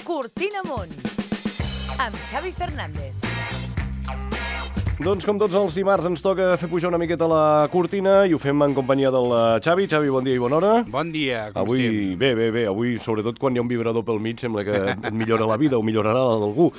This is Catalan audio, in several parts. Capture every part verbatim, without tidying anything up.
Cortina Amunt, amb Xavi Fernández. Doncs com tots els dimarts ens toca fer pujar una miqueta la cortina i ho fem en companyia del Xavi. Xavi, bon dia i bona hora. Bon dia, com avui, estem? Bé, bé, bé. Avui, sobretot quan hi ha un vibrador pel mig, sembla que et millora la vida o millorarà la d'algú.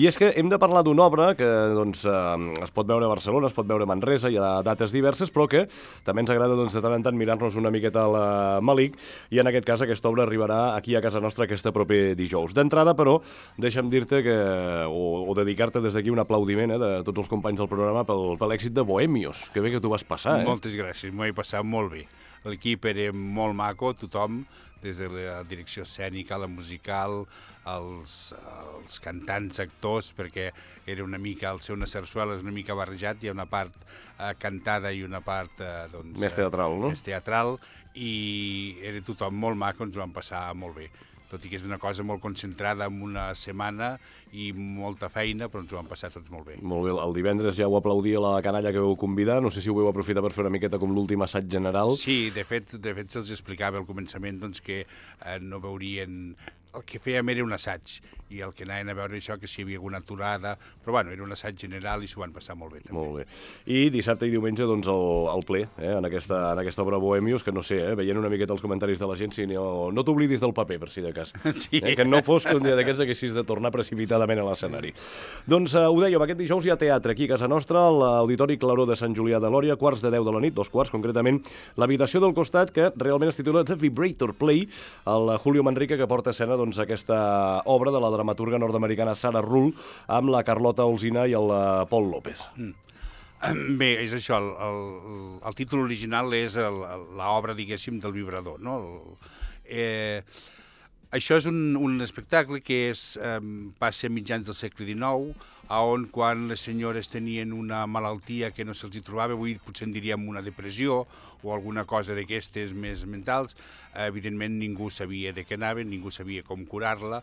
I és que hem de parlar d'una obra que doncs, eh, es pot veure a Barcelona, es pot veure a Manresa, hi ha dates diverses, però que també ens agrada doncs, de tant en tant mirar-nos una miqueta a la Malik, i en aquest cas aquesta obra arribarà aquí a casa nostra aquest proper dijous. D'entrada, però, deixa'm dir-te que, o, o dedicar-te des d'aquí un aplaudiment eh, de tots els companys del programa pel, per l'èxit de Bohemios. Que bé que tu vas passar, eh? Moltes gràcies, m'ho he passat molt bé. L'equip era molt maco, tothom, des de la direcció escènica, la musical, els, els cantants, actors, perquè era una mica, el seu una sarsuela és una mica barrejat, hi ha una part eh, cantada i una part eh, doncs, més teatral, no? Més teatral, i era tothom molt maco, ens ho vam passar molt bé. Tot i que és una cosa molt concentrada en una setmana i molta feina, però ens ho vam passar tots molt bé. Molt bé, el divendres ja ho aplaudia la canalla que vau convidar, no sé si ho vau aprofitar per fer una miqueta com l'últim assaig general. Sí, de fet, de fet se'ls explicava al començament doncs, que eh, no veurien... El que fèiem era un assaig, i el que anaven a veure això, que si hi havia alguna aturada, però bueno, era un assaig general i s'ho van passar molt bé també. Molt bé. I dissabte i diumenge, doncs, el, el ple, eh, en, aquesta, en aquesta obra Bohemios, que no sé, eh, veient una miqueta els comentaris de la gent, si no, no t'oblidis del paper, per si de cas. Sí. Eh, que no fos que un dia d'aquests haguessis de tornar precipitadament a l'escenari. Doncs eh, ho dèiem, aquest dijous hi ha teatre aquí a casa nostra, a l'Auditori Claró de Sant Julià de Lòria, quarts de deu de la nit, dos quarts concretament, l'habitació del costat, que realment es titula The Vibrator Play, el Julio Manrique, que porta a escena doncs, aquesta obra de la dramaturga nord-americana Sarah Ruhl amb la Carlota Olsina i el Paul López. Mm. Bé, és això, el, el, el títol original és l'obra, diguéssim, del vibrador, no? El, eh, això és un, un espectacle que és, eh, passa a mitjans del segle dinou, on quan les senyores tenien una malaltia que no se'ls hi trobava, avui potser en diríem una depressió o alguna cosa d'aquestes més mentals, eh, evidentment ningú sabia de què anaven, ningú sabia com curar-la,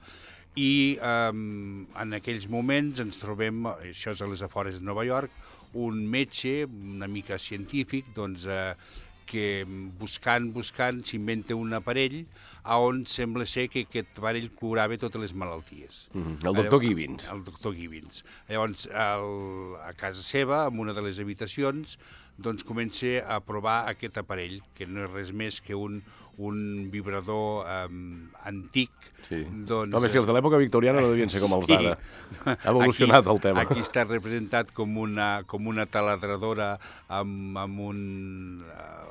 i eh, en aquells moments ens trobem, això és a les afores de Nova York, un metge, una mica científic, doncs, eh, que buscant, buscant, s'inventa un aparell on sembla ser que aquest aparell curava totes les malalties. Mm-hmm. El doctor Gibbons. El doctor Gibbons. Llavors, el, a casa seva, en una de les habitacions, doncs comença a provar aquest aparell, que no és res més que un, un vibrador um, antic. Sí. Doncs, Home, si els de l'època victoriana no devien ser com els sí. d'ara. Ha evolucionat aquí, el tema. Aquí està representat com una, com una taladradora amb, amb un... Uh,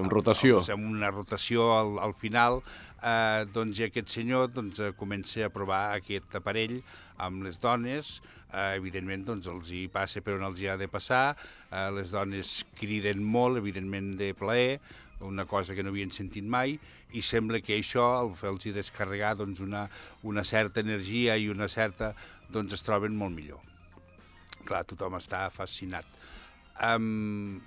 amb rotació. Amb una rotació al, al final, eh, doncs i aquest senyor doncs, comença a provar aquest aparell amb les dones, eh, evidentment doncs, els hi passa per on els hi ha de passar, eh, les dones criden molt, evidentment de plaer, una cosa que no havien sentit mai, i sembla que això, al fer-los descarregar doncs, una, una certa energia i una certa, doncs es troben molt millor. Clar, tothom està fascinat. Um,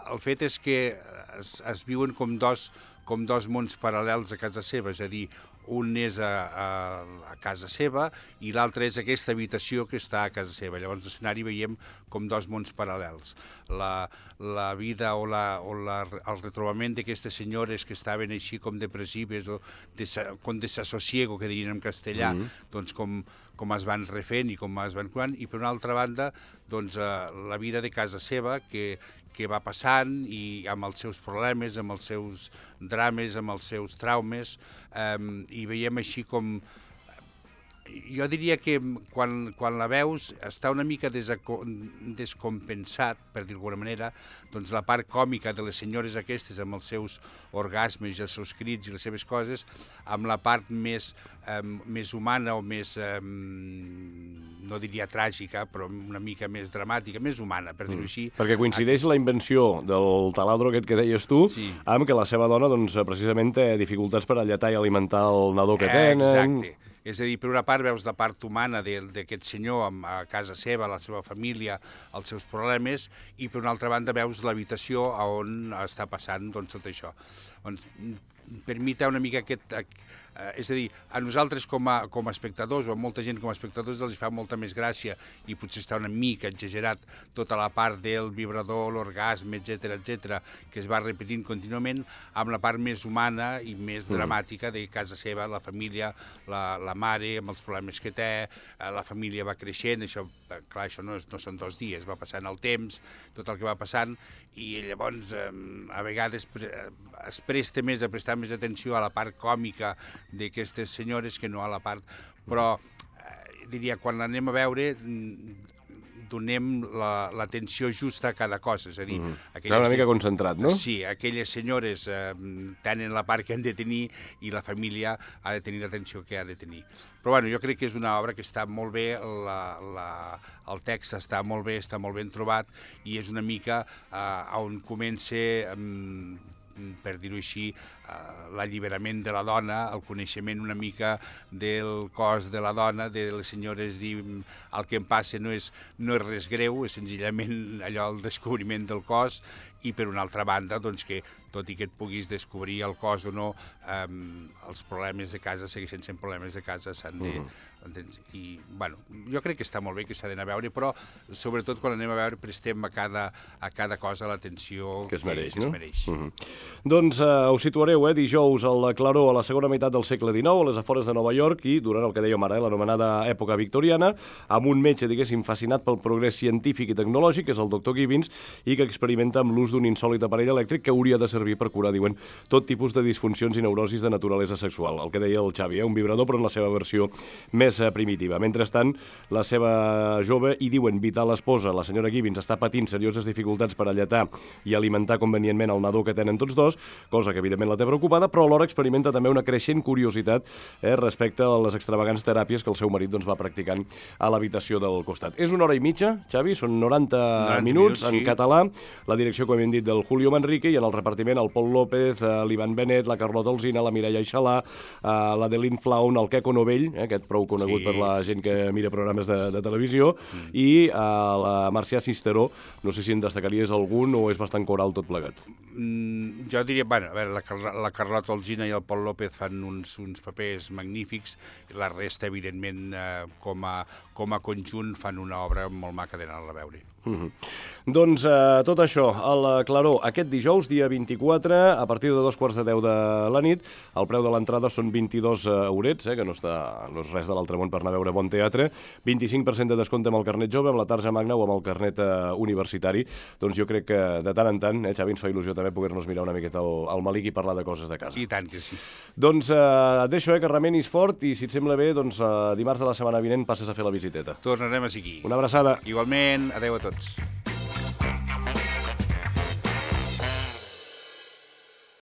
el fet és que es, es viuen com dos, com dos mons paral·lels a casa seva, és a dir, un és a, a, a casa seva i l'altre és aquesta habitació que està a casa seva. Llavors, l'escenari veiem com dos mons paral·lels. La, la vida o, la, o la, el retrobament d'aquestes senyores que estaven així com depressives o des, com desassosiego, que dirien en castellà, mm-hmm. doncs com, com es van refent i com es van curant, i per una altra banda, doncs, eh, la vida de casa seva, que, que va passant i amb els seus problemes, amb els seus drames, amb els seus traumes, eh, i veiem així com... Jo diria que quan, quan la veus està una mica descompensat, per dir d'alguna manera, doncs la part còmica de les senyores aquestes amb els seus orgasmes i els seus crits i les seves coses, amb la part més, eh, més humana o més, eh, no diria tràgica, però una mica més dramàtica, més humana, per dir-ho així. Mm. Perquè coincideix la invenció del taladro aquest que deies tu, sí. amb que la seva dona, doncs, precisament té dificultats per alletar i alimentar el nadó que tenen. Exacte. És a dir, per una part veus la part humana d'aquest senyor a casa seva, la seva família, els seus problemes, i per una altra banda veus l'habitació on està passant doncs, tot això. Doncs, per mi té una mica aquest... Eh, és a dir, a nosaltres com a, com a espectadors, o a molta gent com a espectadors, els fa molta més gràcia, i potser està una mica exagerat tota la part del vibrador, l'orgasme, etcètera, etcètera, que es va repetint contínuament, amb la part més humana i més mm. dramàtica de casa seva, la família, la, la mare, amb els problemes que té, eh, la família va creixent, això, clar, això no, és, no són dos dies, va passant el temps, tot el que va passant, i llavors eh, a vegades pre es presta més a prestar més atenció a la part còmica d'aquestes senyores que no a la part... Però eh, diria, quan l'anem a veure, donem l'atenció la, justa a cada cosa, és a dir... Mm. Aquelles, una mica concentrat, no? Sí, aquelles senyores eh, tenen la part que han de tenir i la família ha de tenir l'atenció que ha de tenir. Però bueno, jo crec que és una obra que està molt bé, la, la, el text està molt bé, està molt ben trobat, i és una mica eh, on comença... Eh, per dir-ho així, l'alliberament de la dona, el coneixement una mica del cos de la dona, de les senyores dir el que em passa no és, no és res greu, és senzillament allò el descobriment del cos, i per una altra banda, doncs que tot i que et puguis descobrir el cos o no, eh, els problemes de casa segueixen sent problemes de casa, s'han de... Uh-huh. I, bueno, jo crec que està molt bé, que s'ha d'anar a veure, però sobretot quan anem a veure prestem a cada, a cada cosa l'atenció que es mereix, que, no? que es mereix. Uh-huh. Doncs uh, us situareu, eh, dijous al Claró, a la segona meitat del segle dinou, a les afores de Nova York, i durant el que dèiem ara, eh, l'anomenada època victoriana, amb un metge, diguéssim, fascinat pel progrés científic i tecnològic, que és el doctor Gibbons, i que experimenta amb l'ús d'un insòlit aparell elèctric que hauria de servir per curar, diuen, tot tipus de disfuncions i neurosis de naturalesa sexual. El que deia el Xavi, eh, un vibrador, però en la seva versió més eh, primitiva. Mentrestant, la seva jove i, diuen, vital esposa, la senyora Gibbons, està patint serioses dificultats per alletar i alimentar convenientment el nadó que tenen tots dos, cosa que evidentment la té preocupada, però alhora experimenta també una creixent curiositat eh, respecte a les extravagants teràpies que el seu marit doncs, va practicant a l'habitació del costat. És una hora i mitja, Xavi, són noranta, noranta minuts, minuts en sí. català, la direcció, com hem dit, del Julio Manrique, i en el repartiment el Pol López, eh, l'Ivan Benet, la Carlota Alsina, la Mireia Aixalà, eh, la Delín Flaun, el Queco Novell, eh, aquest prou conegut sí. per la gent que mira programes de, de televisió, mm. i eh, la Marcià Cisteró. No sé si en destacaries algun o és bastant coral tot plegat. Mm, jo diria, bueno, a veure, la, la Carlota Alsina i el Pol López fan uns, uns papers magnífics, la resta, evidentment, eh, com, a, com a conjunt fan una obra molt maca d'anar-la a veure. Mm-hmm. Doncs eh, tot això al Claró aquest dijous, dia vint-i-quatre, a partir de dos quarts de deu de la nit. El preu de l'entrada són vint-i-dos eurets, eh, que no, està, no és res de l'altre món per anar a veure bon teatre. vint-i-cinc per cent de descompte amb el carnet jove, amb la tarja magna o amb el carnet eh, universitari. Doncs jo crec que de tant en tant, eh, Xavi, ens fa il·lusió també poder-nos mirar una miqueta al, al Malik i parlar de coses de casa. I tant que sí. Doncs eh, deixo, eh, que remenis fort, i si et sembla bé, doncs eh, dimarts de la setmana vinent passes a fer la visiteta. Tornarem a seguir. Una abraçada. Igualment, adeu a tots.